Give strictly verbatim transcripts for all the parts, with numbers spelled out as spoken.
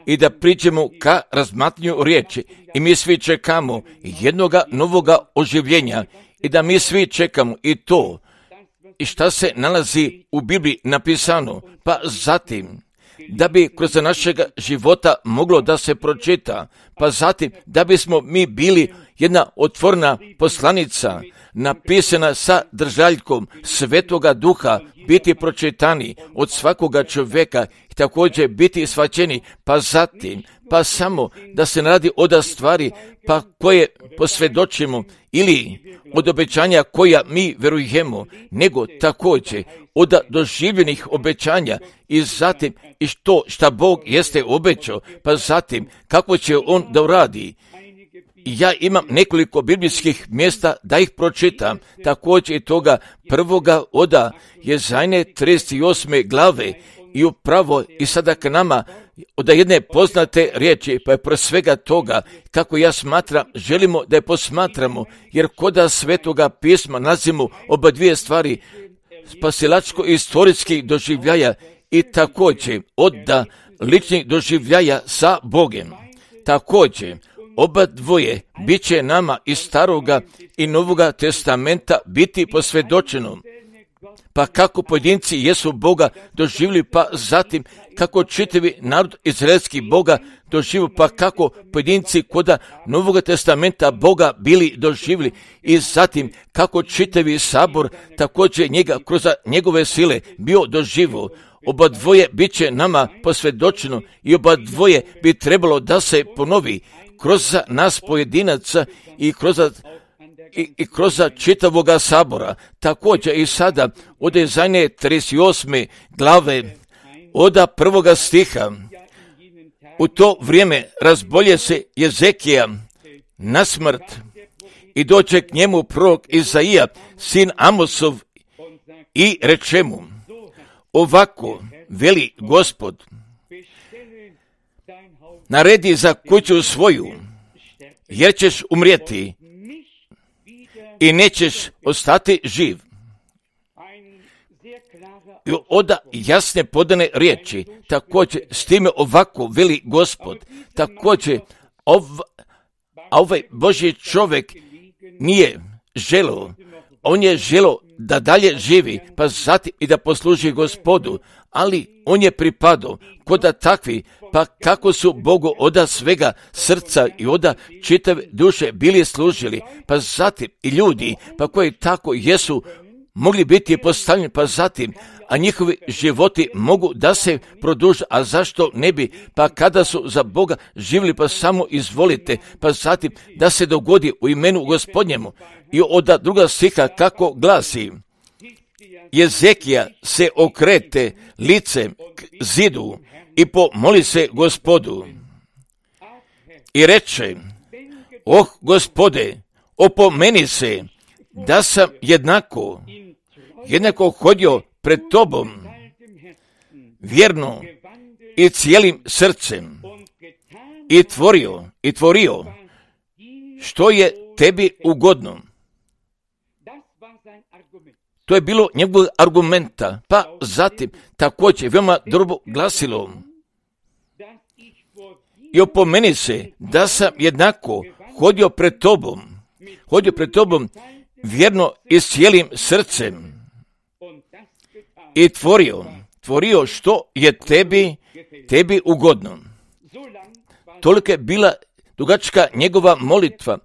i da priđemo ka razmatranju riječi. I mi svi čekamo jednoga novoga oživljenja i da mi svi čekamo i to i šta se nalazi u Bibliji napisano, pa zatim da bi kroz našega života moglo da se pročita, pa zatim da bismo mi bili jedna otvorena poslanica napisana sa držaljkom Svetoga Duha, biti pročitani od svakoga čovjeka i također biti shvaćeni, pa zatim, pa samo da se radi od stvari pa koje posvjedočimo ili od obećanja koja mi verujemo, nego također od doživljenih obećanja i zatim i što šta Bog jeste obećao, pa zatim kako će On da uradi. Ja imam nekoliko biblijskih mjesta da ih pročitam, također i toga prvoga oda Jezajne trideset osme glave i upravo i sada k nama od jedne poznate riječi, pa je pro svega toga kako ja smatram, želimo da je posmatramo, jer koda Svetoga pisma nalazimo oba dvije stvari, spasilačko-istorijskih doživljaja i također od ličnih doživljaja sa Bogem. Također, oba dvoje bit će nama iz Staroga i Novoga testamenta biti posvjedočeno. Pa kako pojedinci jesu Boga doživjeli, pa zatim kako čitavi narod izraelski Boga doživio, pa kako pojedinci koda Novoga testamenta Boga bili doživjeli i zatim kako čitavi sabor također njega kroz njegove sile bio doživio. Oba dvoje bit će nama posvjedočeno i oba dvoje bi trebalo da se ponovi kroz nas pojedinaca i kroz I, i kroz čitavoga sabora. Također i sada od Jezajne trideset osme glave oda prvoga stiha. U to vrijeme razbolje se Jezekija na smrt i dođe k njemu prorok Izaija, sin Amosov, i reče mu: ovako veli Gospod, naredi za kuću svoju, jer ćeš umrijeti i nećeš ostati živ. I oda jasne podane riječi, također s time ovako veli Gospod, također ov, ovaj Božji čovjek nije želio, on je želio da dalje živi, pa zatim i da posluži Gospodu, ali on je pripadao koda takvi, pa kako su Bogu oda svega srca i oda čitave duše bili služili, pa zatim i ljudi, pa koji tako jesu mogli biti postavljeni, pa zatim, a njihovi životi mogu da se produže, a zašto ne bi, pa kada su za Boga živjeli, pa samo izvolite, pa zatim da se dogodi u imenu Gospodnjemu. I od druga stiha kako glasi: Jezekija se okrete licem k zidu i pomoli se Gospodu i reče: oh Gospode, opomeni se da sam jednako, jednako hodio pred Tobom, vjerno i cijelim srcem, i tvorio, i tvorio, što je Tebi ugodno. To je bilo njegovog argumenta, pa zatim također veoma dobro glasilo: i opomeni se da sam jednako hodio pred Tobom, hodio pred Tobom vjerno i s cijelim srcem i tvorio, tvorio što je tebi, tebi ugodno. Toliko je bila dugačka njegova molitva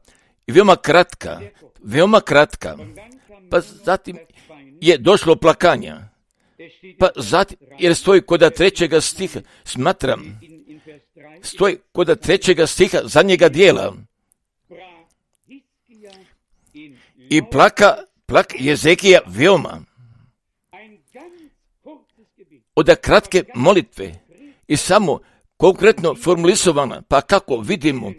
i veoma kratka, veoma kratka, pa zatim je došlo plakanja, pa zatim, jer stoji koda trećega stiha, smatram, stoji koda trećega stiha zadnjega dijela, i plaka, plak Jezekija veoma, od kratke molitve i samo konkretno formulisovana, pa kako vidimo,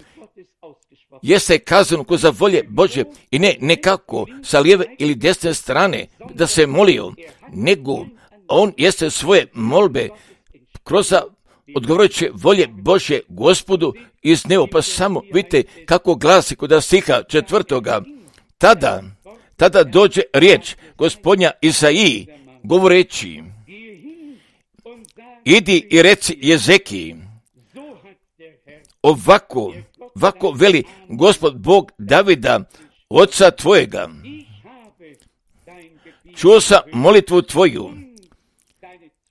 jeste kazano ko za volje Bože i ne nekako sa lijeve ili desne strane da se molio, nego on jeste svoje molbe kroz odgovarajuće volje Bože Gospodu izneo, pa samo vidite kako glasi kod stiha četvrtoga. Tada, tada dođe riječ Gospodnja Izaiji govoreći: idi i reci Jezekiji, ovako, ovako veli Gospod Bog Davida, oca tvojega, čuo sam molitvu tvoju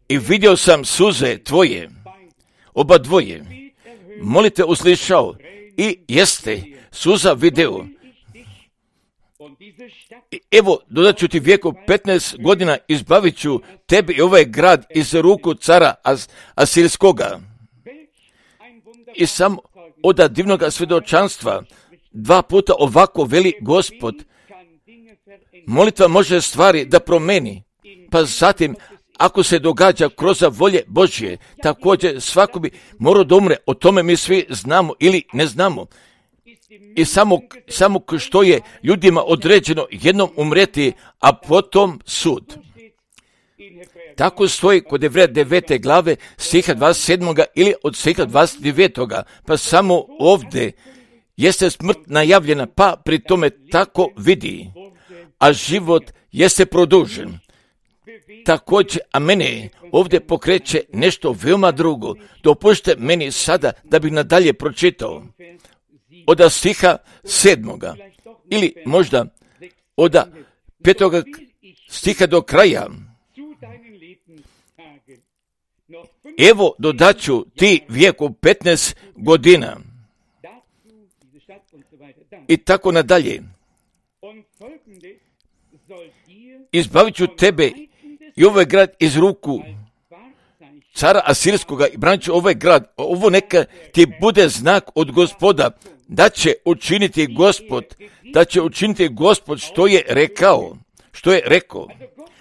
i vidio sam suze tvoje, oba dvoje, molite uslišao i jeste suza video. I evo, dodat ću ti vijeku petnaest godina, izbavit ću tebi i ovaj grad iz ruku cara As- Asirskoga. I sam od divnog svjedočanstva dva puta ovako veli Gospod, molitva može stvari da promeni, pa zatim ako se događa kroz volje Božje, također svako bi morao da umre, o tome mi svi znamo ili ne znamo. I samo, samo što je ljudima određeno jednom umreti, a potom sud. Tako stoji kod Jevreja devete glave stiha dvadeset sedam ili od stiha dvadeset devet. Pa samo ovdje jeste smrt najavljena, pa pri tome tako vidi, a život jeste produžen. Također, a mene ovdje pokreće nešto veoma drugo. Dopustite meni sada da bih nadalje pročitao od stiha sedmoga ili možda od petoga stiha do kraja. Evo dodaću ti vijeku petnaest godina i tako nadalje. Izbavit ću tebe i ovaj grad iz ruku cara Asirskoga i branit ću ovaj grad. Ovo neka ti bude znak od Gospoda, da će učiniti Gospod, da će učiniti Gospod što je rekao, što je rekao.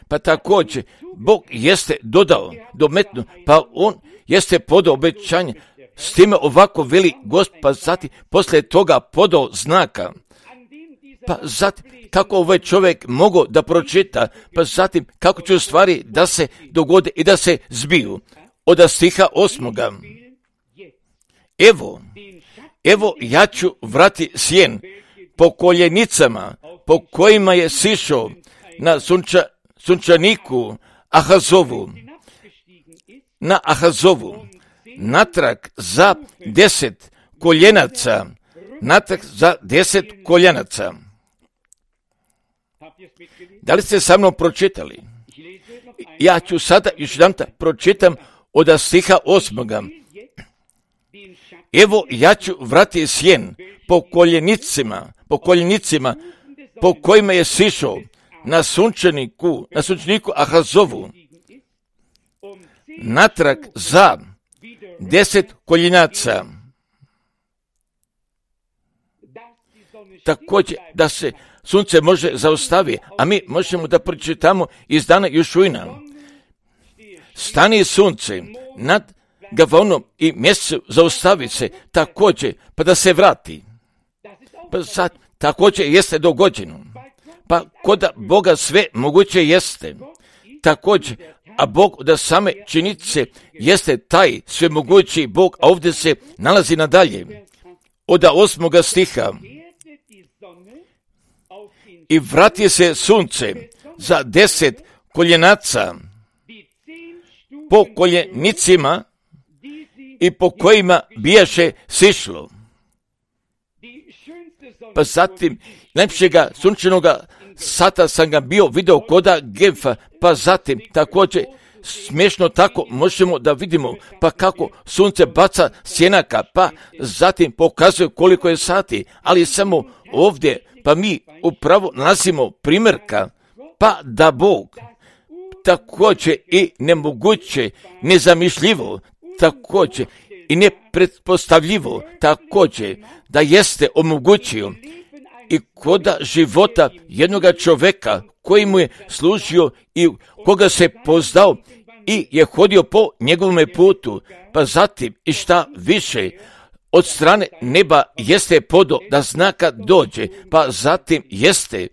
Pa također, Bog jeste dodao, dometno, pa on jeste podao obećanje, s time ovako veli Gospod, pa zatim poslije toga podao znaka. Pa zatim, kako ovaj čovjek mogao da pročita, pa zatim, kako će stvari da se dogode i da se zbiju. Od stiha osmoga. Evo, evo ja ću vrati sjen po koljenicama, po kojima je sišao na sunča, sunčaniku Ahazovu, na Ahazovu, natrag za deset koljenaca, natrag za deset koljenaca. Da li ste sa mnom pročitali? Ja ću sada još jedan pročitam od stiha osmoga. Evo ja ću vrati sjen po koljenicima, po koljenicima po kojima je sišao na sunčaniku, na sunčaniku Ahazovu, natrag za deset koljenaca. Također da se sunce može zaustaviti, a mi možemo da pročitamo iz dana Jošuina. Stani sunce nad Gavaonom i mjesecu, zaustavi se također, pa da se vrati. Pa sad, također jeste dogođeno. Pa kod Boga sve moguće jeste. Također, a Bog da same činice jeste taj svemogući Bog, a ovdje se nalazi nadalje. Od osmoga stiha. I vrati se sunce za deset koljenaca po koljenicima i po kojima bijaše sišlo. Pa zatim najljepšega sunčanoga sata sam ga bio video koda Gemfa, pa zatim također smiješno tako možemo da vidimo pa kako sunce baca sjenaka, pa zatim pokazuje koliko je sati, ali samo ovdje pa mi upravo nalazimo primjerka, pa da Bog također i nemoguće, nezamišljivo, također i nepretpostavljivo, također da jeste omogućio i koda života jednoga čovjeka koji mu je služio i koga se poznao i je hodio po njegovome putu, pa zatim i šta više od strane neba jeste podo da znaka dođe, pa zatim jeste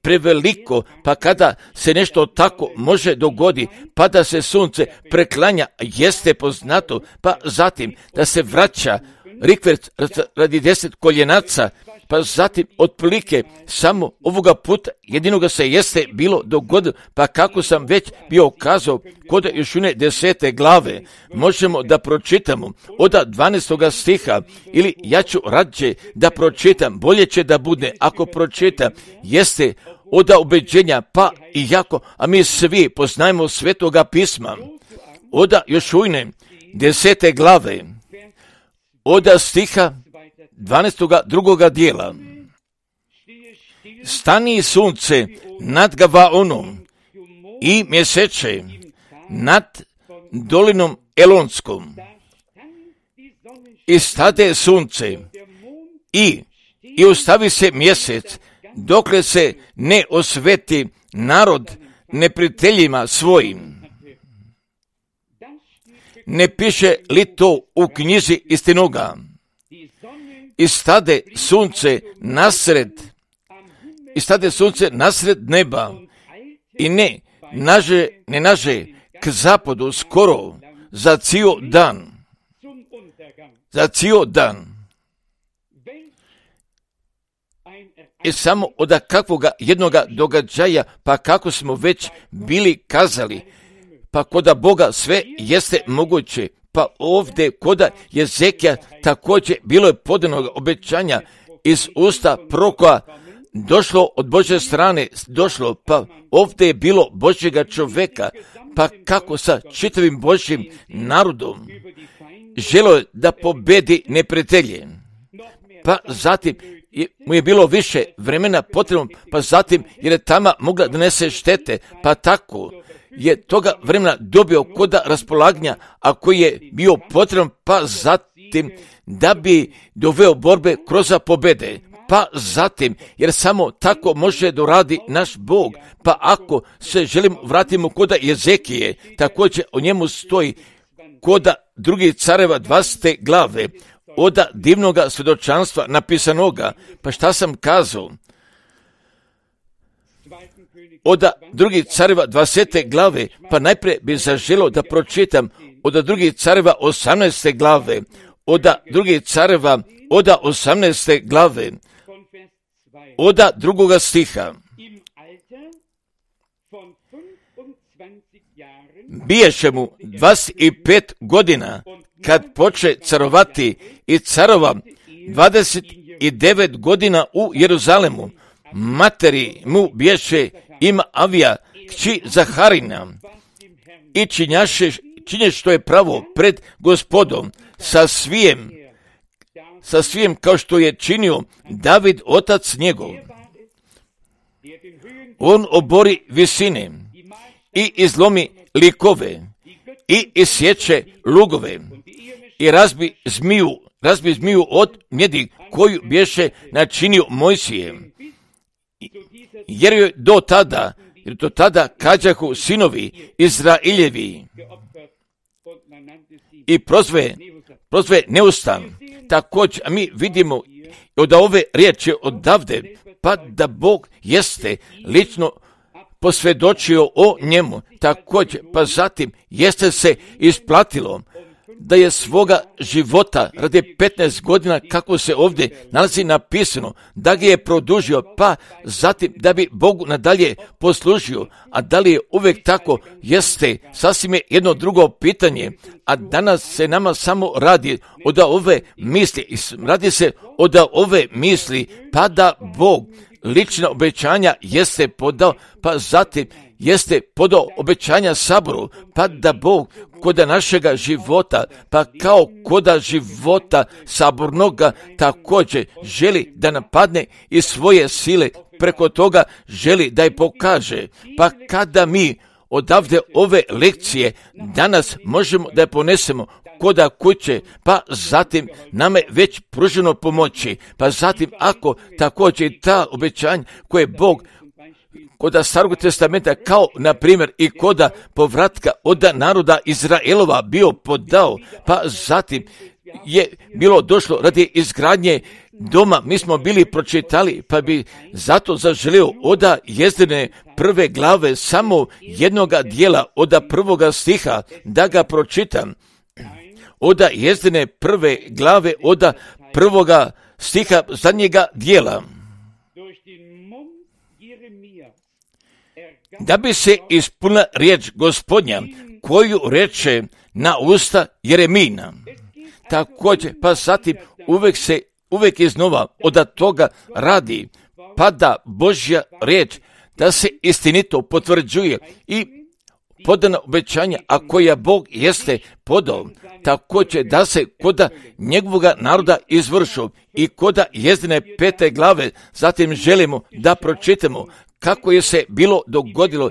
preveliko, pa kada se nešto tako može dogodi, pa da se sunce preklanja, jeste poznato, pa zatim da se vraća rikverc radi deset koljenaca, pa zatim otprilike samo ovoga puta jedinoga se jeste bilo dogodilo, pa kako sam već bio kazao kod još une desete glave, možemo da pročitamo od dvanaestoga stiha, ili ja ću rađe da pročitam, bolje će da bude ako pročitam, jeste od ubeđenja, pa i jako, a mi svi poznajemo Svetoga pisma, od još une desete glave, od stiha dvanaestoga drugoga dijela. Stani sunce nad Gavaonom i mjeseče nad dolinom Elonskom. I stade sunce i, i ostavi se mjesec, dokle se ne osveti narod neprijateljima svojim. Ne piše li to u knjizi istinoga? I stade sunce nasred, i stade sunce nasred neba, i ne naže, ne naže k zapadu skoro za cijel dan. Za cijel dan. I samo od kakvoga jednoga događaja, pa kako smo već bili kazali, pa koda Boga sve jeste moguće, pa ovdje koda Jezekija također bilo je podanog obećanja iz usta proroka, došlo od Božje strane, došlo, pa ovdje je bilo Božjega čovjeka, pa kako sa čitavim Božjim narodom želio je da pobedi neprijatelje, pa zatim mu je bilo više vremena potrebno, pa zatim jer je tama mogla da nese štete, pa tako je toga vremena dobio koda raspolaganja, a koji je bio potreban, pa zatim da bi doveo borbe kroz pobede, pa zatim, jer samo tako može doradi naš Bog, pa ako se želimo vratimo koda Jezekije, također o njemu stoji koda drugih careva dvadesete glave, od divnoga svjedočanstva napisanoga, pa šta sam kazao? Od drugih careva dvadesete glave, pa najprije bi zaželio da pročitam od drugih careva osamnaeste glave, od drugih careva od osamnaeste glave, od drugoga stiha. Biješe mu dvadeset pet godina kad poče carovati i carova dvadeset devet godina u Jeruzalemu. Materi mu biješe ima Avija, kći Zaharina, i činjaše, činje što je pravo pred Gospodom sa svijem, sa svijem kao što je činio David otac njegov. On obori visine i izlomi likove i isječe lugove i razbi zmiju, razbi zmiju od mjedi koju bješe načinio Mojsije. Jer je do tada, jer do tada kađahu sinovi Izrailjevi i prozve, prozve neustan. Također, a mi vidimo od ove riječi odavde, pa da Bog jeste lično posvjedočio o njemu, također, pa zatim jeste se isplatilo da je svoga života radi petnaest godina, kako se ovdje nalazi napisano, da ga je produžio, pa zatim da bi Bogu nadalje poslužio. A da li je uvijek tako? Jeste, sasvim je jedno drugo pitanje, a danas se nama samo radi od ove misli, radi se od ove misli, pa da Bog lična obećanja jeste podao, pa zatim jeste podao obećanja Saboru, pa da Bog koda našega života, pa kao koda života sabornoga također želi da napadne i svoje sile, preko toga želi da je pokaže. Pa kada mi odavde ove lekcije danas možemo da je ponesemo koda kuće, pa zatim nama je već pruženo pomoći, pa zatim ako također i ta obećanja koje Bog koda Starog testamenta, kao na primjer i koda povratka od naroda Izraelova bio podao, pa zatim je bilo došlo radi izgradnje doma, mi smo bili pročitali, pa bi zato zaželio od Jezdine prve glave samo jednoga dijela od prvoga stiha da ga pročitam. od jezdine prve glave, od prvoga stiha zadnjega dijela. Da bi se ispunila riječ Gospodnja, koju reče na usta Jeremina. Također, pa zatim uvijek se, uvijek iznova od toga radi, pada Božja riječ, da se istinito potvrđuje i podana obećanja, a koja Bog jeste podao, također da se koda njegovoga naroda izvršu i koda jezdine pete glave. Zatim želimo da pročitamo kako je se bilo dogodilo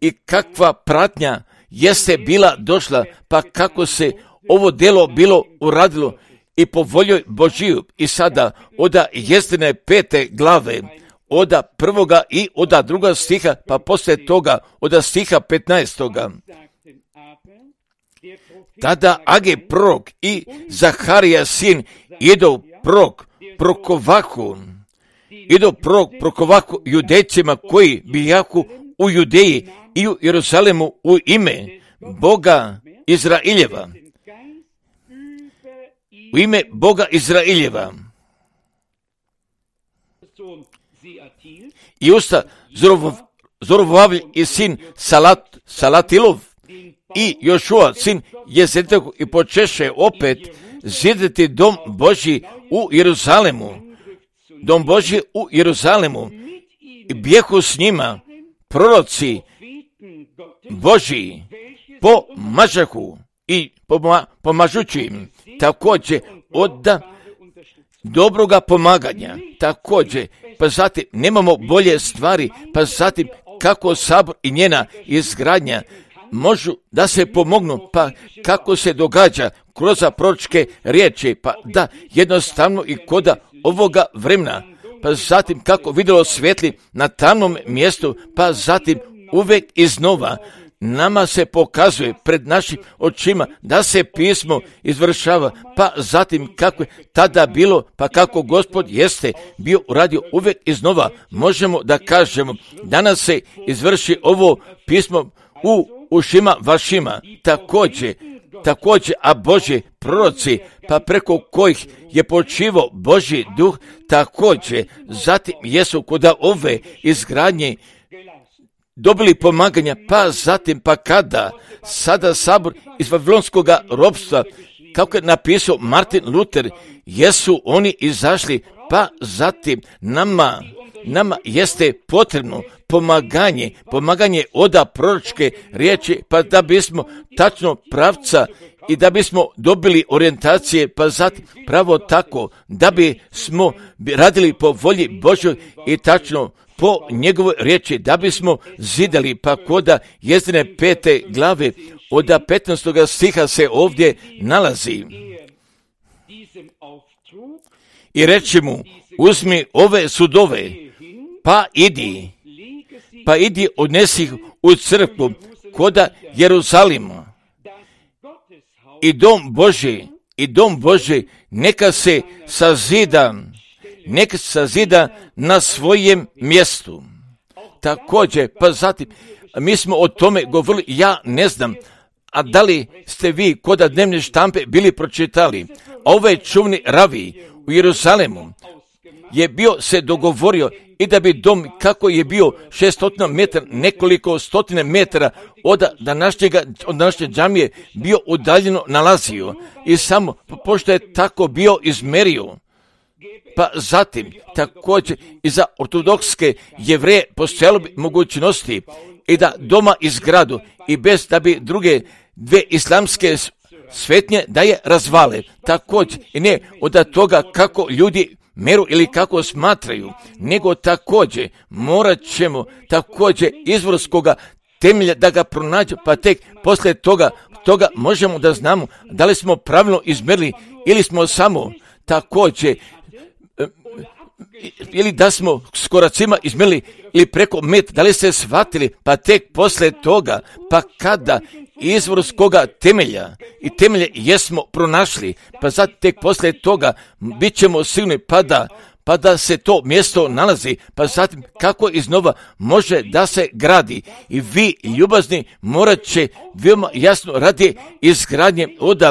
i kakva pratnja jeste bila došla, pa kako se ovo djelo bilo uradilo i po voljoj Božiju. I sada od jezdine pete glave, od prvoga i od druga stiha, pa poslije toga od stiha petnaestoga. Tada Age prorok i Zaharija sin idu prorok prokovahu, idu prorok prokovahu judejcima koji bijahu u Judeji i u Jeruzalemu u ime Boga Izraeljeva. U ime Boga Izraeljeva. I usta Zorobabel i sin Salat, Salatilov i Jošua sin Jezedekov i počeše opet ziditi dom Božji u Jeruzalemu. Dom Božji u Jeruzalemu. I bijehu s njima proroci Božji pomažahu i pomažući im. Također od dobroga pomaganja. Također, pa zatim nemamo bolje stvari, pa zatim kako sabor i njena izgradnja možu da se pomognu, pa kako se događa kroz proročke riječi, pa da jednostavno i koda ovoga vremena, pa zatim kako vidjelo svijetli na tamnom mjestu, pa zatim uvijek iznova nama se pokazuje pred našim očima da se pismo izvršava, pa zatim kako je tada bilo, pa kako Gospod jeste bio uradio uvijek iznova, možemo da kažemo, danas se izvrši ovo pismo u ušima vašima, također, također, a Božji proroci, pa preko kojih je počivao Božji duh, također, zatim jesu kod ove izgradnje dobili pomaganja, pa zatim, pa kada sada sabor iz Vavilonskog ropstva, kako je napisao Martin Luther, jesu oni izašli, pa zatim nama, nama jeste potrebno pomaganje, pomaganje od proročke riječi, pa da bismo tačno pravca i da bismo dobili orijentacije, pa zatim pravo tako, da bismo radili po volji Božoj i tačno po njegovoj riječi, da bismo zidali, pa koda jezdine pete glave od petnaestoga stiha se ovdje nalazi. I reći mu, uzmi ove sudove, pa idi, pa idi odnesi ih u crkvu koda Jeruzalima. I dom Božji, i dom Božji neka se sazida, neka se sazida na svojem mjestu. Također, pa zatim, mi smo o tome govorili, ja ne znam, a da li ste vi kod dnevne štampe bili pročitali, ovaj čuvni ravi u Jeruzalemu je bio se dogovorio i da bi dom, kako je bio šestotina metara, nekoliko stotine metara od današnjega, od današnje džamije bio udaljeno nalazio i samo pošto je tako bio izmerio. Pa zatim, također i za ortodokske Jevreje postojalo bi mogućnosti i da doma izgradu i bez da bi druge dve islamske svetnje da je razvale. Također i ne od toga kako ljudi meru ili kako smatraju, nego također morat ćemo također izvorskoga temelja da ga pronađu, pa tek poslije toga, toga možemo da znamo da li smo pravilno izmerili ili smo samo također ili da smo s koracima izmjerili ili preko met, da li ste shvatili, pa tek poslije toga, pa kada izvorskoga temelja i temelje jesmo pronašli, pa sad tek poslije toga bit ćemo sigurni pa da pa da se to mjesto nalazi, pa zatim kako iznova može da se gradi. I vi, ljubazni, morat će veoma jasno radi izgradnje od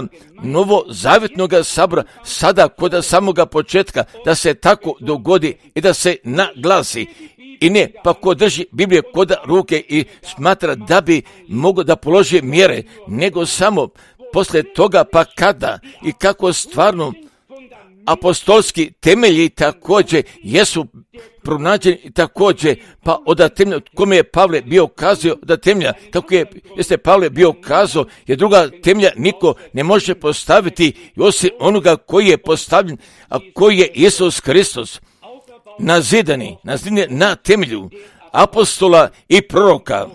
novozavjetnog sabora, sada kod samoga početka, da se tako dogodi i da se naglasi. I ne, pa ko drži Biblije kod ruke i smatra da bi mogao da položi mjere, nego samo poslije toga, pa kada i kako stvarno apostolski temelji također jesu pronađeni također, pa od temelja, kome je Pavle bio kazao da temelja, kako je, jeste Pavle bio kazao, jer druga temelja niko ne može postaviti osim onoga koji je postavljen, a koji je Isus Hristos, nazidani, nazidani na temelju apostola i proroka.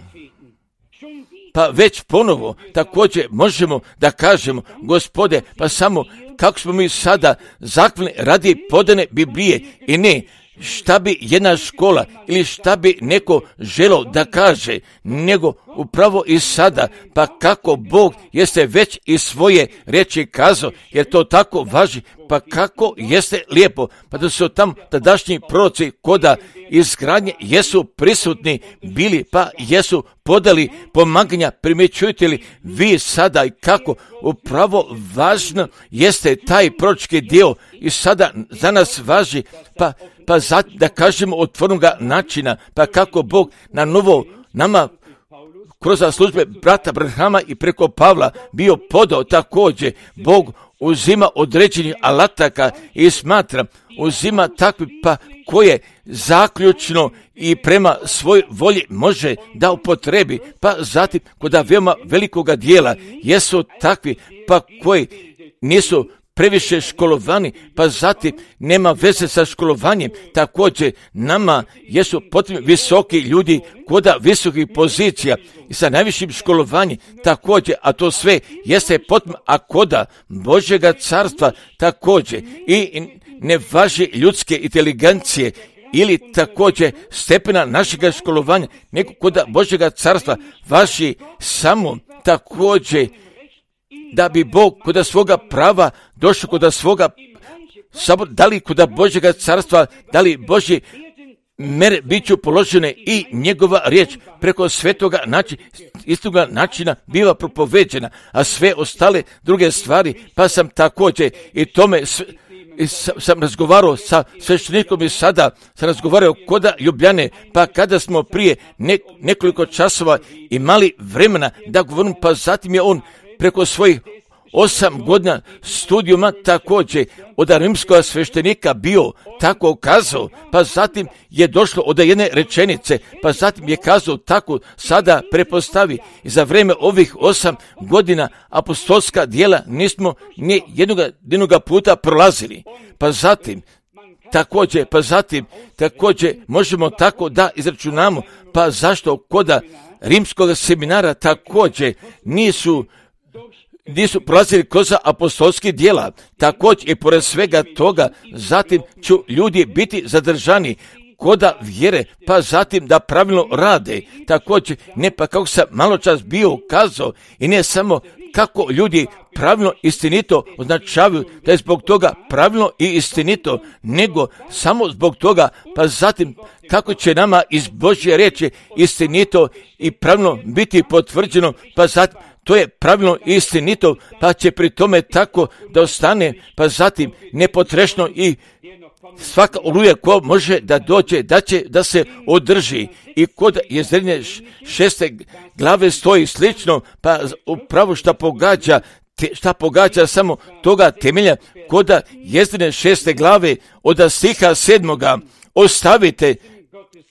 Pa već ponovo također možemo da kažemo, Gospode, pa samo kako smo mi sada zakljeni radi podane Biblije i ne šta bi jedna škola ili šta bi neko želio da kaže, nego upravo i sada, pa kako Bog jeste već i svoje riječi kazao, jer to tako važi, pa kako jeste lijepo, pa da su tam tadašnji proroci koda izgradnje jesu prisutni bili, pa jesu podali pomaganja, primjećujete li vi sada i kako upravo važno jeste taj proročki dio i sada za nas važi, pa pa zato da kažemo otvornoga načina, pa kako Bog na novo nama kroz službe brata Branhama i preko Pavla bio podao također. Bog uzima određenih alataka i smatra, uzima takvi pa koje zaključno i prema svoj volji može da upotrebi, pa zatim kod veoma velikoga dijela jesu takvi pa koji nisu previše školovani, pa zatim nema veze sa školovanjem. Također nama jesu potrebni visoki ljudi koda visokih pozicija i sa najvišim školovanjem također, a to sve jeste potrebno, a koda Božjega carstva također i ne važi ljudske inteligencije ili također stepena našega školovanja, nego koda Božjega carstva važi samo također da bi Bog kod svoga prava došao kod svoga sabora, da li kod Božjega carstva, da li Božji mere bit ću položene i njegova riječ preko svetoga načina, istoga načina biva propoveđena, a sve ostale druge stvari, pa sam također i tome s, i sam razgovarao sa sveštenikom i sada sam razgovarao koda Ljubljane, pa kada smo prije ne, nekoliko časova imali vremena da govorim, pa zatim je on preko svojih osam godina studijuma također od rimskog sveštenika bio tako kazao, pa zatim je došlo od jedne rečenice, pa zatim je kazao tako sada prepostavi i za vrijeme ovih osam godina apostolska djela nismo ni jednoga, jednoga puta prolazili, pa zatim također, pa zatim također možemo tako da izračunamo, pa zašto koda rimskog seminara također nisu nisu prolazili kroz apostolski djela, također i pored svega toga, zatim će ljudi biti zadržani koda vjere, pa zatim da pravilno rade, također ne pa kako sam malo čas bio kazao i ne samo kako ljudi pravilno istinito označavaju da je zbog toga pravilno i istinito, nego samo zbog toga, pa zatim kako će nama iz Božje riječi istinito i pravilno biti potvrđeno, pa zatim to je pravilno i istinito, pa će pri tome tako da ostane, pa zatim nepotrešno i svaka oluja ko može da dođe, da će da se održi. I kod Jezrine šeste glave stoji slično, pa upravo šta pogađa, te, šta pogađa samo toga temelja, kod Jezrine šeste glave od stiha sedmoga, ostavite,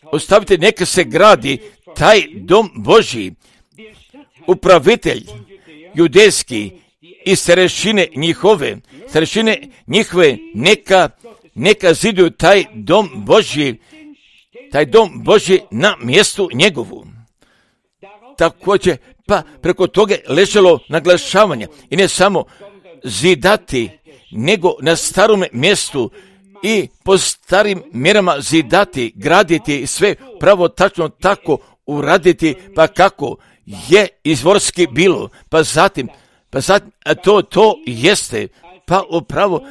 ostavite neka se gradi taj dom Božji, upravitelj judejski i starešine njihove, starešine njihove neka, neka ziduju taj dom Božji, taj dom Božji na mjestu njegovu. Također, pa preko toga ležalo naglašavanje i ne samo zidati, nego na starom mjestu i po starim mjerama zidati, graditi sve pravo tačno tako uraditi, pa kako je izvorski bilo, pa zatim, pa zatim, a to, to jeste, pa upravo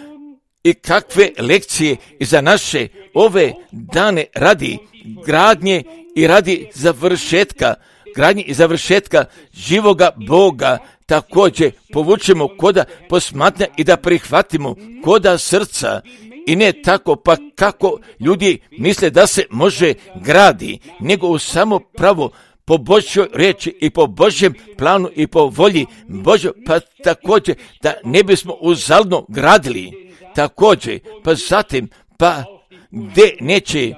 i kakve lekcije i za naše ove dane radi gradnje i radi završetka, gradnje i završetka živoga Boga također povučemo koda posmatnja i da prihvatimo koda srca i ne tako pa kako ljudi misle da se može gradi, nego u samo pravo po Božjoj riječi i po Božjem planu i po volji Božjoj, pa također da ne bismo uzaludno gradili, također pa zatim pa gdje neće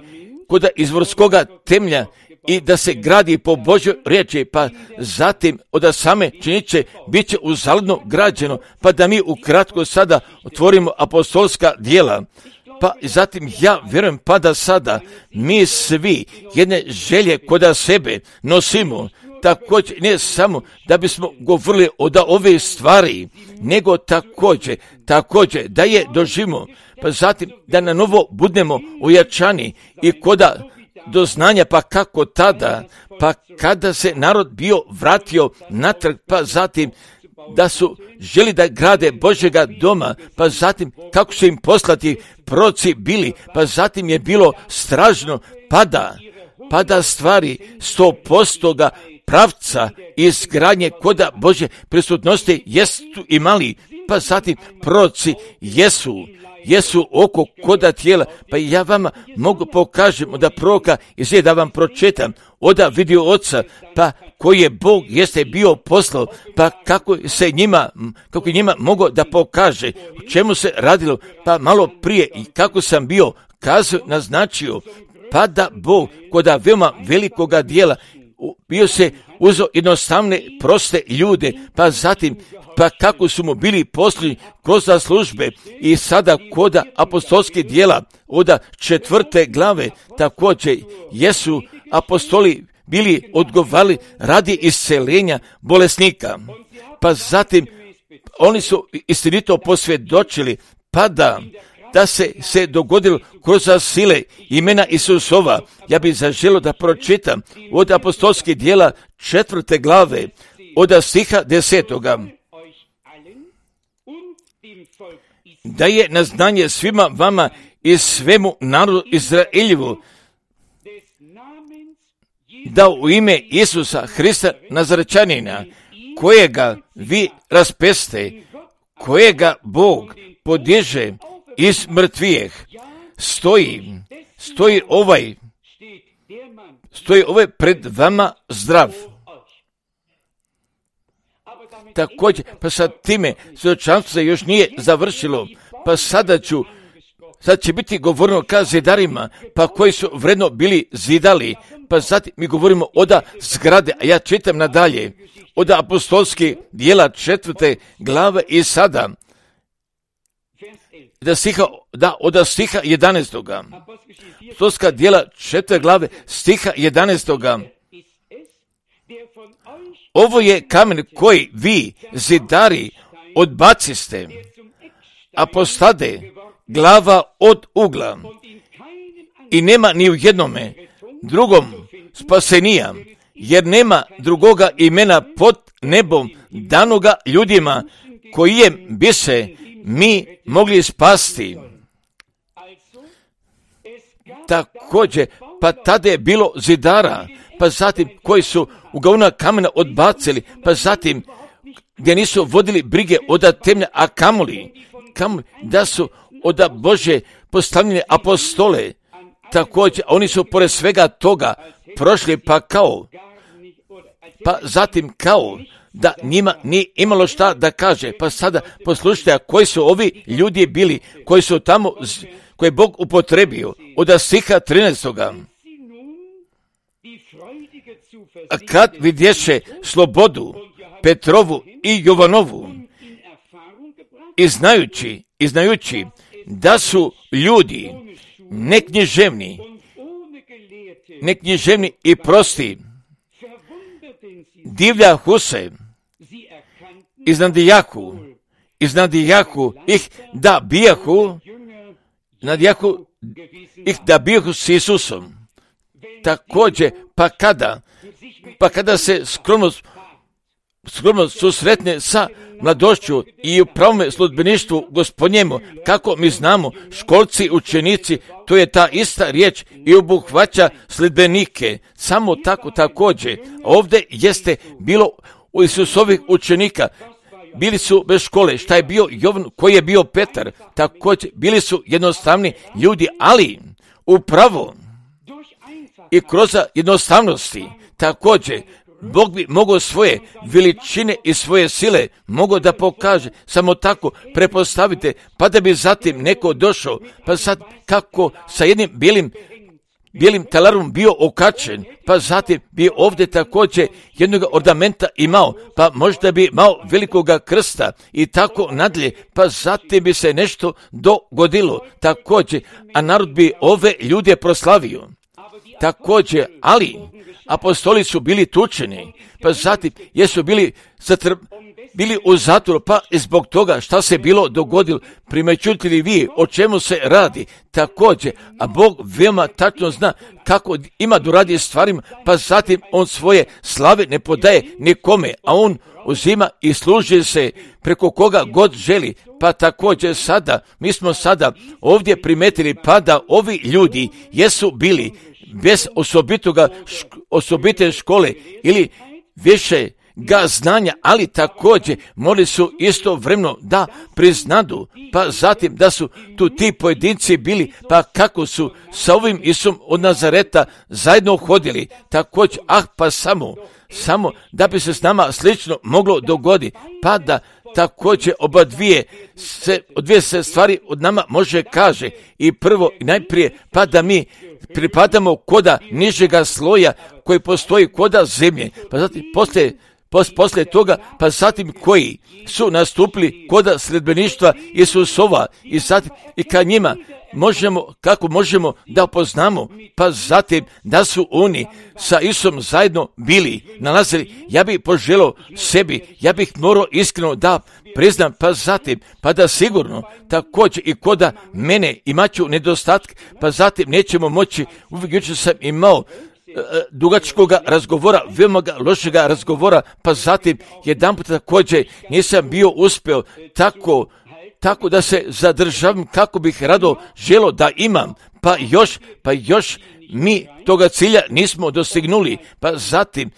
koda izvorskoga temelja i da se gradi po Božjoj riječi, pa zatim od same činjeće bit će uzaludno građeno, pa da mi ukratko sada otvorimo apostolska djela. Pa zatim ja vjerujem pa da sada mi svi jedne želje koda sebe nosimo, također ne samo da bismo govorili o da ove stvari, nego također, također da je doživimo, pa zatim da na novo budemo ojačani i koda do znanja, pa kako tada, pa kada se narod bio vratio natrag, pa zatim da su želi da grade Božjega doma, pa zatim kako su im poslati proroci bili, pa zatim je bilo strašno pada, pada stvari sto posto pravca izgradnje koda Božje prisutnosti jesu imali, pa zatim proroci jesu, jesu oko koda tijela, pa ja vama mogu pokažem da proroka izvije da vam pročitam, oda vidio oca, pa koji je Bog jeste bio poslao, pa kako se njima, kako njima mogo da pokaže, o čemu se radilo, pa malo prije i kako sam bio kazao, naznačio, pa da Bog koda veoma velikoga dijela bio se uzeo jednostavne, proste ljude, pa zatim, pa kako su mu bili poslani kroz službe i sada koda apostolskih djela, oda četvrte glave, također jesu apostoli bili odgovarali radi isceljenja bolesnika, pa zatim oni su istinito posvjedočili, pa da, da se se dogodilo kroz sile imena Isusova. Ja bih zaželio da pročitam od apostolskih djela četvrte glave, od stiha desetoga. Da je na znanje svima vama i svemu narodu Izraeljevu, da u ime Isusa Hrista Nazarečanina, kojega vi raspeste, kojega Bog podiže iz mrtvijeh, stoji, stoji ovaj, stoji ovaj pred vama zdrav. Također, pa sad time svjedočanstvo se još nije završilo, pa sada ću, sad će biti govoreno ka zidarima, pa koji su vredno bili zidali, pa zatim mi govorimo oda zgrade, a ja čitam nadalje, oda apostolskih djela četvrte glave i sada, da stiha, da, od stiha jedanaestoga. Apostolska djela četvrte glave, stiha jedanaestoga. Ovo je kamen koji vi, zidari, odbaciste, a postade glava od ugla. I nema ni u jednome drugom spasenija, jer nema drugoga imena pod nebom danoga ljudima kojem bi se mi mogli spasti. Također, pa tada je bilo zidara, pa zatim koji su uglavnom kamena odbacili, pa zatim gdje nisu vodili brige od temlja, a kamoli, kamoli da su od Bože postavljene apostole, također oni su pored svega toga prošli pa kao, pa zatim kao da njima nije imalo šta da kaže, pa sada poslušajte koji su ovi ljudi bili, koji su tamo, koje je Bog upotrebio, od stiha trinaestoga. A kad vidješe slobodu Petrovu i Jovanovu i znajući, i znajući da su ljudi neknjiževni, neknjiževni i prosti, divljahu se, iznadijahu, iznadijahu ih da bijahu, nadijahu ih da bijahu s Isusom. Također, pa kada, pa kada se skromnost skromno susretne sa mladošću i u pravome sludbeništvu Gospodnjemu, kako mi znamo, školci, učenici, to je ta ista riječ i obuhvaća sljedbenike. Samo tako također. Ovdje jeste bilo u Isusovih učenika. Bili su bez škole. Šta je bio Jovan, koji je bio Petar? Također, bili su jednostavni ljudi, ali upravo i kroz jednostavnosti također Bog bi mogao svoje veličine i svoje sile mogao da pokaže. Samo tako prepostavite, pa da bi zatim neko došao, pa sad kako sa jednim bijelim bijelim talarom bio okačen, pa zatim bi ovdje također jednog ornamenta imao, pa možda bi imao velikoga krsta i tako nadalje, pa zatim bi se nešto dogodilo također, a narod bi ove ljude proslavio. Također, ali apostoli su bili tučeni, pa zatim jesu bili, zatr... bili u zatvoru, pa zbog toga šta se bilo dogodilo, primećujete li vi o čemu se radi također, a Bog veoma tačno zna kako ima doradi stvarima, pa zatim on svoje slave ne podaje nikome, a on uzima i služi se preko koga god želi. Pa također sada, mi smo sada ovdje primetili pa da ovi ljudi jesu bili bez osobitoga, šk- osobite škole ili više ga znanja, ali također morali su istovremeno da priznadu, pa zatim da su tu ti pojedinci bili, pa kako su sa ovim Isusom od Nazareta zajedno hodili, također, ah pa samo, samo da bi se s nama slično moglo dogoditi, pa da također oba dvije se, dvije se stvari od nama može kaže i prvo i najprije, pa da mi pripadamo koda nižega sloja koji postoji koda zemlje, pa zatim poslije Pos, poslije toga, pa zatim koji su nastupili koda sljedbeništva Isusova i zatim i ka njima možemo, kako možemo da poznamo, pa zatim da su oni sa Isusom zajedno bili, nalazili, ja bih poželio sebi, ja bih morao iskreno da priznam, pa zatim, pa da sigurno također i koda mene imaću nedostatke, pa zatim nećemo moći, uvijek jučer sam imao dugačkoga razgovora, veoma lošega razgovora, pa zatim jedan put također nisam bio uspio tako, tako da se zadržavam kako bih rado želo da imam, pa još, pa još mi toga cilja nismo dostignuli, pa zatim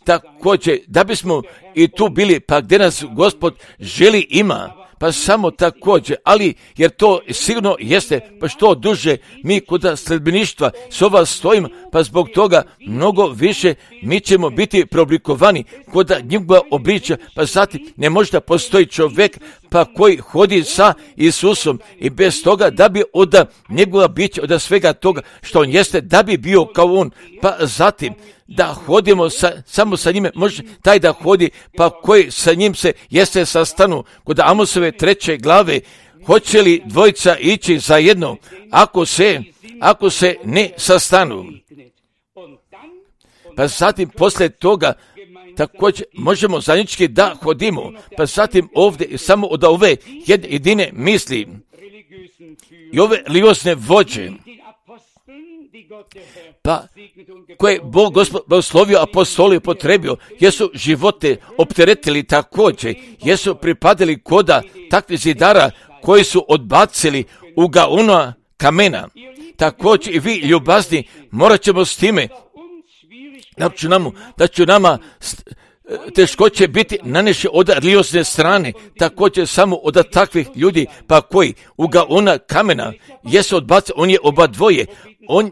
također da bismo i tu bili, pa gdje nas Gospod želi ima, pa samo također, ali jer to sigurno jeste, pa što duže mi kod sljedbeništva s ova stojimo, pa zbog toga mnogo više mi ćemo biti preoblikovani kod njegova obličja, pa zatim ne može da postoji čovjek pa koji hodi sa Isusom i bez toga da bi od njegova bića, od svega toga što on jeste, da bi bio kao on, pa zatim da hodimo sa, samo sa njime, može taj da hodi, pa koji sa njim se jeste sastanu kod Amosove treće glave, hoće li dvojica ići zajedno ako se, ako se ne sastanu. Pa zatim poslije toga također možemo zajednički da hodimo, pa zatim ovdje samo od ove jedine misli i ove religiozne vođe, pa koje Bog Gospod blagoslovio apostoli upotrebio, jesu živote opteretili također, jesu pripadali koda takvih zidara koji su odbacili ugaona kamena. Također i vi ljubazni morat ćemo s time da će nama, da će nama teškoće biti naneše od religiozne strane, također samo od takvih ljudi, pa koji ugaona kamena jesu odbacili, on je oba dvoje, on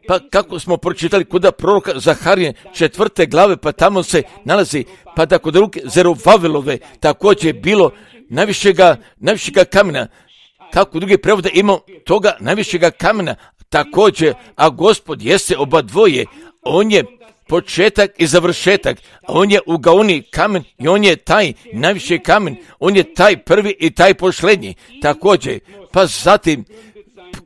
pa kako smo pročitali kod proroka Zaharije četvrte glave, pa tamo se nalazi, pa da kod ruke Zerubavelove također bilo najvišega, najvišega kamena, kako drugi prevode imao toga najvišega kamena, također, a Gospod jeste oba dvoje, on je početak i završetak, on je ugaoni kamen i on je taj najviši kamen, on je taj prvi i taj posljednji, također, pa zatim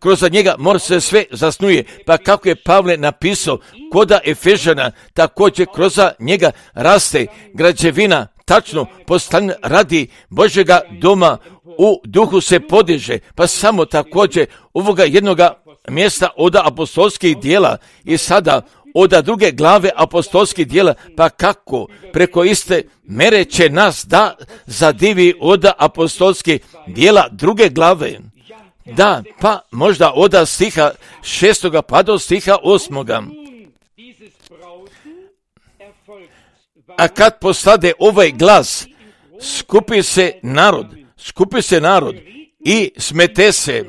kroz njega mora se sve zasnuje, pa kako je Pavle napisao koda Efežana, također kroz njega raste građevina, tačno postavljena radi Božjega doma, u duhu se podiže, pa samo također ovoga jednoga mjesta od apostolskih dijela i sada od druge glave apostolskih djela, pa kako preko iste mere će nas da zadivi od apostolskih djela druge glave. Da, pa možda od stiha šestoga pa do stiha osmoga. A kad postade ovaj glas, skupi se narod, skupi se narod i smete se,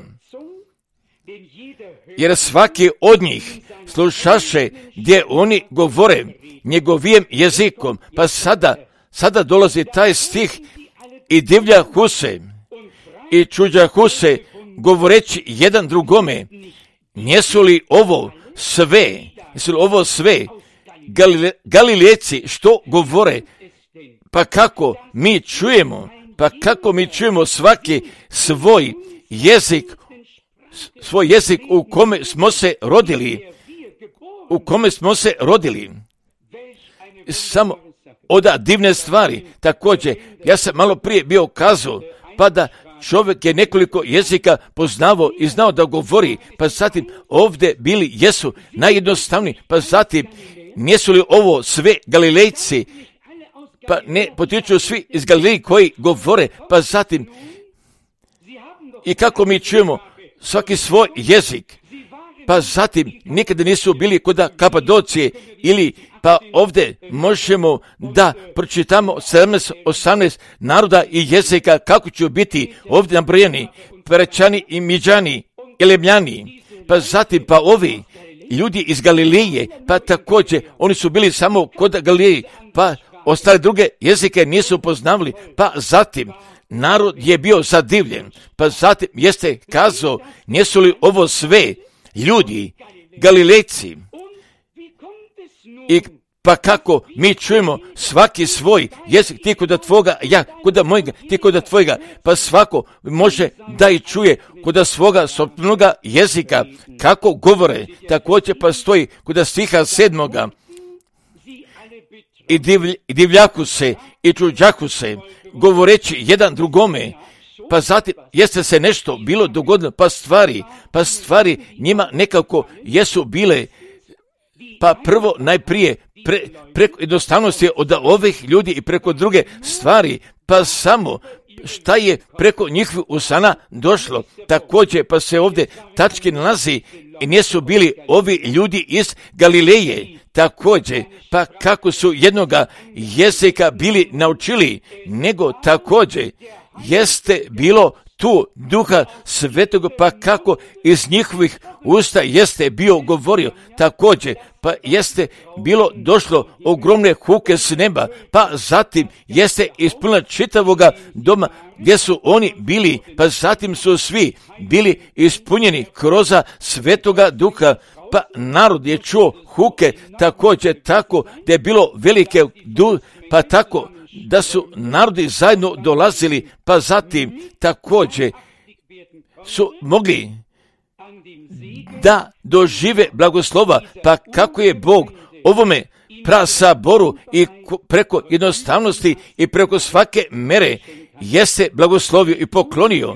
jer svaki od njih slušaše gdje oni govore njegovim jezikom. Pa sada, sada dolazi taj stih i divljahu se i čuđahu se, govoreći jedan drugome, nijesu li ovo sve, nijesu li ovo sve Galile, Galilejci što govore? Pa kako mi čujemo, pa kako mi čujemo svaki svoj jezik, svoj jezik u kome smo se rodili, u kome smo se rodili. Samo od divne stvari. Također, ja sam malo prije bio kazao, pa da čovjek je nekoliko jezika poznavao i znao da govori, pa zatim ovdje bili jesu najjednostavniji, pa zatim nijesu li ovo sve Galilejci, pa ne potiču svi iz Galileji koji govore, pa zatim i kako mi čujemo svaki svoj jezik, pa zatim nikada nisu bili kod Kapadocije ili pa ovdje možemo da pročitamo sedamnaest osamnaest naroda i jezika kako će biti ovdje nabrojeni, Perečani i Midžani, Elemljani, pa zatim pa ovi ljudi iz Galileje, pa također oni su bili samo kod Galileje, pa ostale druge jezike nisu poznavali, pa zatim narod je bio zadivljen, pa zatim jeste kazao, nijesu li ovo sve ljudi, Galilejci, i pa kako mi čujemo svaki svoj jezik, ti kod tvoga, ja kod mojega, ti kod tvojega, pa svako može da i čuje kod svoga sopnoga jezika kako govore. Također pa stoji kod stiha sedmoga, i, divlj, i divljaku se i čuđaku se, govoreći jedan drugome, pa zatim jeste se nešto bilo dogodilo, pa stvari, pa stvari njima nekako jesu bile, pa prvo najprije pre, preko jednostavnosti od ovih ljudi i preko druge stvari, pa samo šta je preko njihovih usana došlo. Također pa se ovdje tački nalazi i nisu bili ovi ljudi iz Galileje, također pa kako su jednoga jezika bili naučili, nego također jeste bilo tu Duha Svetog, pa kako iz njihovih usta jeste bio govorio, također pa jeste bilo došlo ogromne huke s neba, pa zatim jeste ispunila čitavoga doma gdje su oni bili, pa zatim su svi bili ispunjeni kroz Svetoga Duha, pa narod je čuo huke također tako da je bilo velike du, pa tako da su narodi zajedno dolazili, pa zatim također su mogli da dožive blagoslova, pa kako je Bog ovome prasaboru i preko jednostavnosti i preko svake mere jeste blagoslovio i poklonio.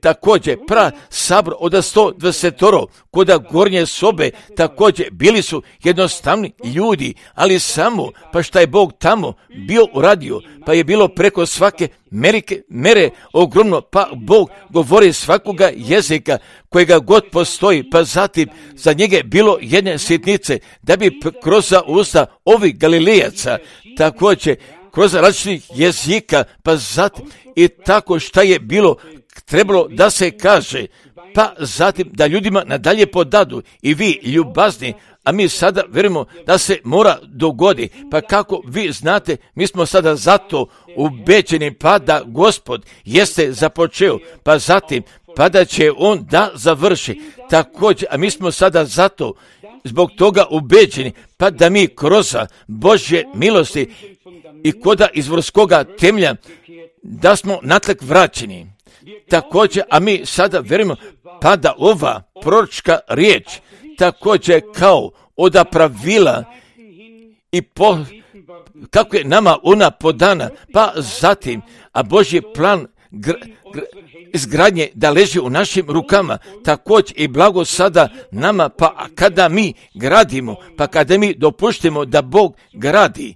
Također pra sabor od sto dvadesetoro kod gornje sobe također bili su jednostavni ljudi, ali samo pa šta je Bog tamo bio uradio, pa je bilo preko svake merike, mere ogromno, pa Bog govori svakoga jezika kojega god postoji, pa zatim za njega je bilo jedne sitnice da bi kroz usta ovih Galilejaca također kroz različitih jezika, pa zatim i tako šta je bilo trebalo da se kaže, pa zatim da ljudima nadalje podadu i vi ljubazni, a mi sada vjerujemo da se mora dogodi, pa kako vi znate, mi smo sada zato ubeđeni, pa da Gospod jeste započeo, pa zatim pa da će on da završi, također, a mi smo sada zato zbog toga ubeđeni, pa da mi kroz Božje milosti i koda izvorskoga temelja da smo natrag vraćeni. Također, a mi sada vjerujemo pa da ova proročka riječ također kao od pravila i po, kako je nama ona podana, pa zatim, a Božji plan gr, gr, izgradnje da leži u našim rukama, također i blago sada nama, pa kada mi gradimo, pa kada mi dopuštimo da Bog gradi,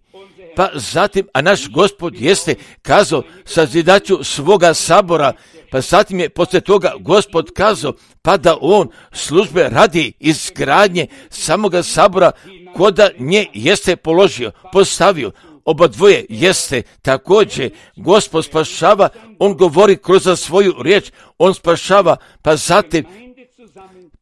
pa zatim, a naš Gospod jeste kazao sazidaću svoga sabora, pa zatim je poslije toga Gospod kazao, pa da on službe radi izgradnje samoga sabora, koda nje jeste položio, postavio. Oba dvoje jeste također, Gospod spašava, on govori kroz svoju riječ, on spašava, pa zatim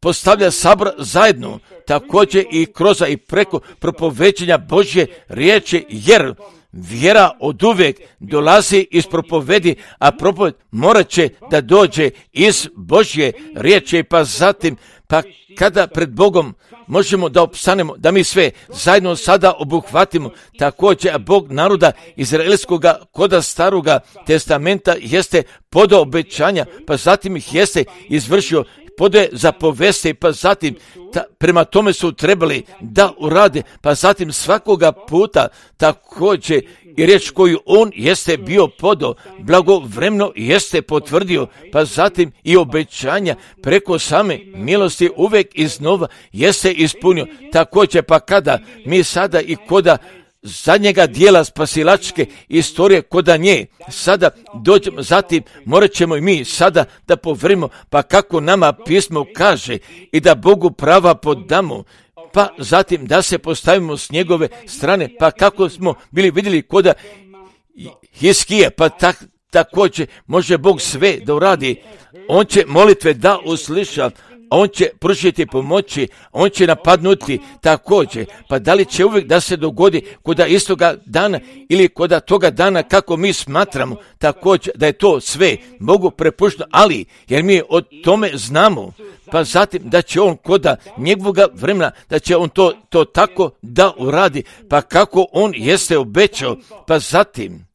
postavlja sabor zajedno, također i kroz i preko propoveđenja Božje riječi, jer vjera od uvijek dolazi iz propovedi, a propoved morat će da dođe iz Božje riječi, pa zatim, pa kada pred Bogom možemo da opstanemo, da mi sve zajedno sada obuhvatimo, također, a Bog naroda izraelskoga koda staroga testamenta jeste podao obećanja, pa zatim ih jeste izvršio, podaje zapovesti, pa zatim ta, prema tome su trebali da urade, pa zatim svakoga puta također i riječ koju on jeste bio podao, blagovremeno jeste potvrdio, pa zatim i obećanja preko same milosti uvijek iznova jeste ispunio. Također, pa kada mi sada i koda zadnjega dijela spasilačke istorije koda nje sada dođemo, zatim morat ćemo i mi sada da povrimo, pa kako nama pismo kaže, i da Bogu prava podamo, pa zatim da se postavimo s njegove strane, pa kako smo bili vidjeli koda Hiskije, pa tak, također može Bog sve da uradi. On će molitve da usliša, on će pružiti pomoći, on će napadnuti također, pa da li će uvijek da se dogodi koda istoga dana ili koda toga dana kako mi smatramo također da je to sve Bogu prepušteno, ali jer mi o tome znamo, pa zatim da će on koda njegovoga vremena, da će on to, to tako da uradi, pa kako on jeste obećao, pa zatim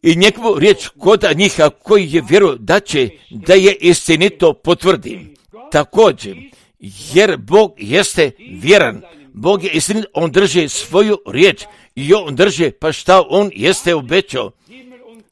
i njegovu riječ koda njih, a koji je vjeruju da će da je istinito potvrdi. Također, jer Bog jeste vjeran, Bog je istinit, on drži svoju riječ i on drži pa šta on jeste obećao.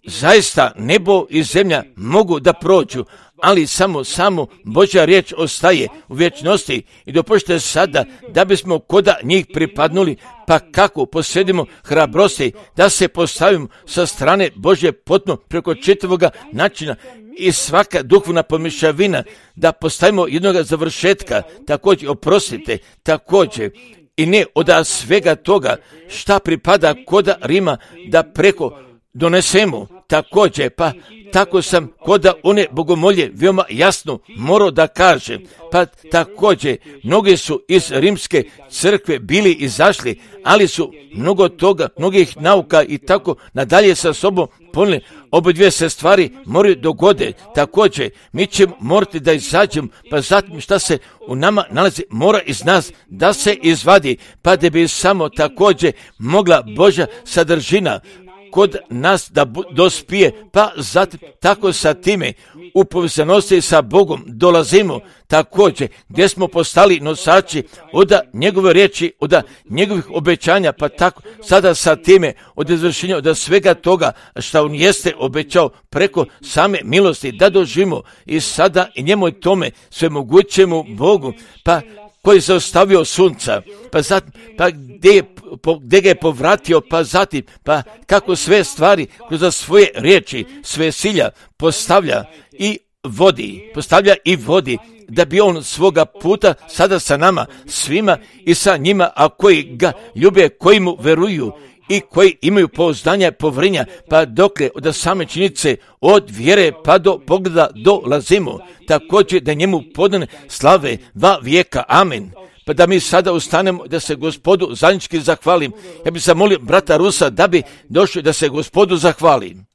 Zaista nebo i zemlja mogu da prođu, ali samo, samo Božja riječ ostaje u vječnosti i dopušte sada da bismo koda njih pripadnuli, pa kako posjedimo hrabrosti da se postavimo sa strane Božje potpuno preko čitavoga načina i svaka duhovna pomišljavina da postavimo jednoga završetka, također oprostite, također i ne od svega toga šta pripada koda Rima da preko donesemo također, pa tako sam koda one bogomolje veoma jasno morao da kažem, pa također mnogi su iz rimske crkve bili izašli, ali su mnogo toga, mnogih nauka i tako nadalje sa sobom ponijeli. Obe dvije se stvari moraju dogode, također mi ćemo morati da izađemo, pa zatim šta se u nama nalazi mora iz nas da se izvadi, pa da bi samo također mogla Božja sadržina kod nas da dospije, pa zatim tako sa time u povezanosti sa Bogom dolazimo također gdje smo postali nosači od njegove riječi, od njegovih obećanja, pa tako sada sa time od izvršenja od svega toga što on jeste obećao preko same milosti da doživimo i sada i njemu i tome sve mogućemu Bogu, pa koji je zaustavio sunca, pa zatim, pa gdje, je, po, gdje ga je povratio, pa zatim, pa kako sve stvari kroz svoje riječi, sve silja postavlja i vodi, postavlja i vodi, da bi on svoga puta sada sa nama, svima i sa njima, a koji ga ljube, koji mu veruju i koji imaju pouzdanja i povrenja, pa dokle od same činjenice od vjere pa do pogleda dolazimo, također da njemu podane slave va vijeka. Amen. Pa da mi sada ustanemo da se Gospodu zajednički zahvalim. Ja bih zamolio brata Rusa da bi došli da se Gospodu zahvalim.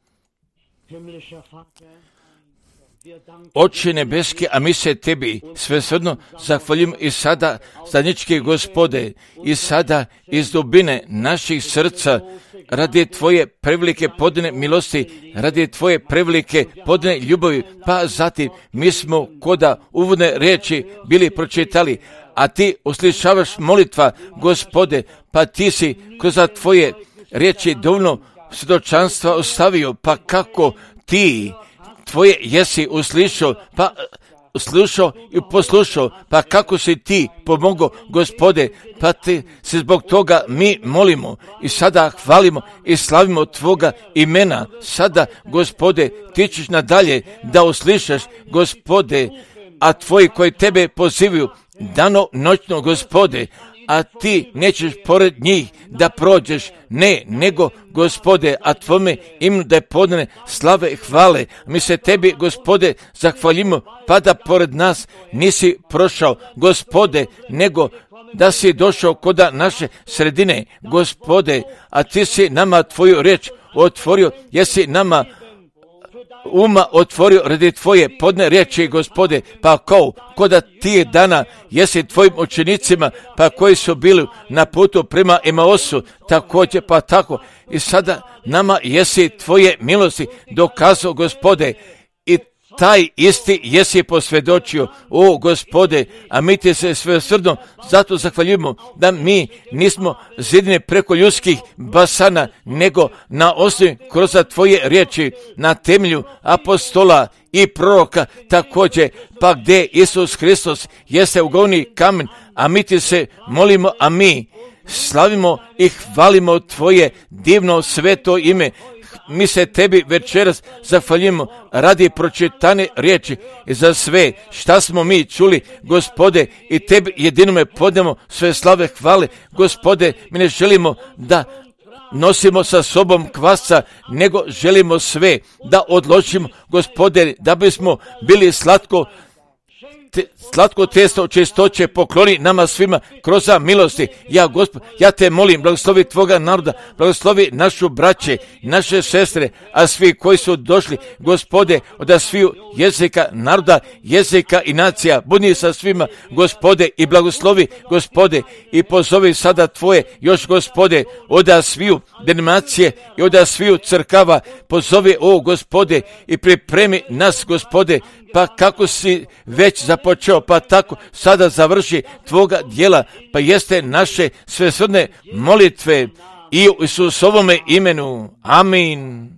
Oče nebeski, a mi se tebi svesrdno zahvaljujemo i sada, zajednički Gospode, i sada iz dubine naših srca, radi tvoje prevelike podane milosti, radi tvoje prevelike podane ljubavi, pa zatim mi smo koda uvodne riječi bili pročitali, a ti uslišavaš molitva, Gospode, pa ti si kroz tvoje riječi dovoljno svjedočanstva ostavio, pa kako ti tvoje jesi uslišao, pa slušao i poslušao, pa kako si ti pomogao, Gospode, pa ti se zbog toga mi molimo i sada hvalimo i slavimo tvoga imena. Sada, Gospode, ti ćeš nadalje da uslišaš, Gospode, a tvoji koji tebe pozivaju dano noćno, Gospode, a ti nećeš pored njih da prođeš, ne, nego, Gospode, a tvome imenu da je podane slave i hvale. Mi se tebi, Gospode, zahvaljimo, pa da pored nas nisi prošao, Gospode, nego da si došao kod naše sredine, Gospode, a ti si nama tvoju riječ otvorio, jesi nama uma otvorio radi tvoje podne riječi, Gospode, pa kao koda ti dana jesi tvojim učenicima, pa koji su bili na putu prema Emaosu, također pa tako i sada nama jesi tvoje milosti dokazao, Gospode, i taj isti jesi posvjedočio, o Gospode, a mi ti se svesrdno zato zahvaljujemo da mi nismo zidine preko ljudskih basana, nego na osnovi kroz tvoje riječi, na temelju apostola i proroka također, pa gdje Isus Hristos jeste ugovni kamen, a mi ti se molimo, a mi slavimo i hvalimo tvoje divno sveto ime. Mi se tebi večeras zahvaljujemo radi pročitane riječi i za sve šta smo mi čuli, Gospode, i tebi jedinome podnemo sve slave hvale, Gospode. Mi ne želimo da nosimo sa sobom kvasca, nego želimo sve da odložimo, Gospode, da bismo bili slatko Te, slatko testo čistoće pokloni nama svima kroz milosti. Ja, Gospod, ja te molim, blagoslovi tvoga naroda, blagoslovi našu braće, naše sestre, a svi koji su došli, Gospode, od sviju jezika naroda, jezika i nacija, budi sa svima, Gospode, i blagoslovi, Gospode, i pozovi sada tvoje, još, Gospode, od sviju denominacije i od sviju crkava, pozovi, o Gospode, i pripremi nas, Gospode, pa kako si već započeo, pa tako sada završi tvoga djela, pa jeste naše svesrdne molitve i u Isusovome imenu. Amin.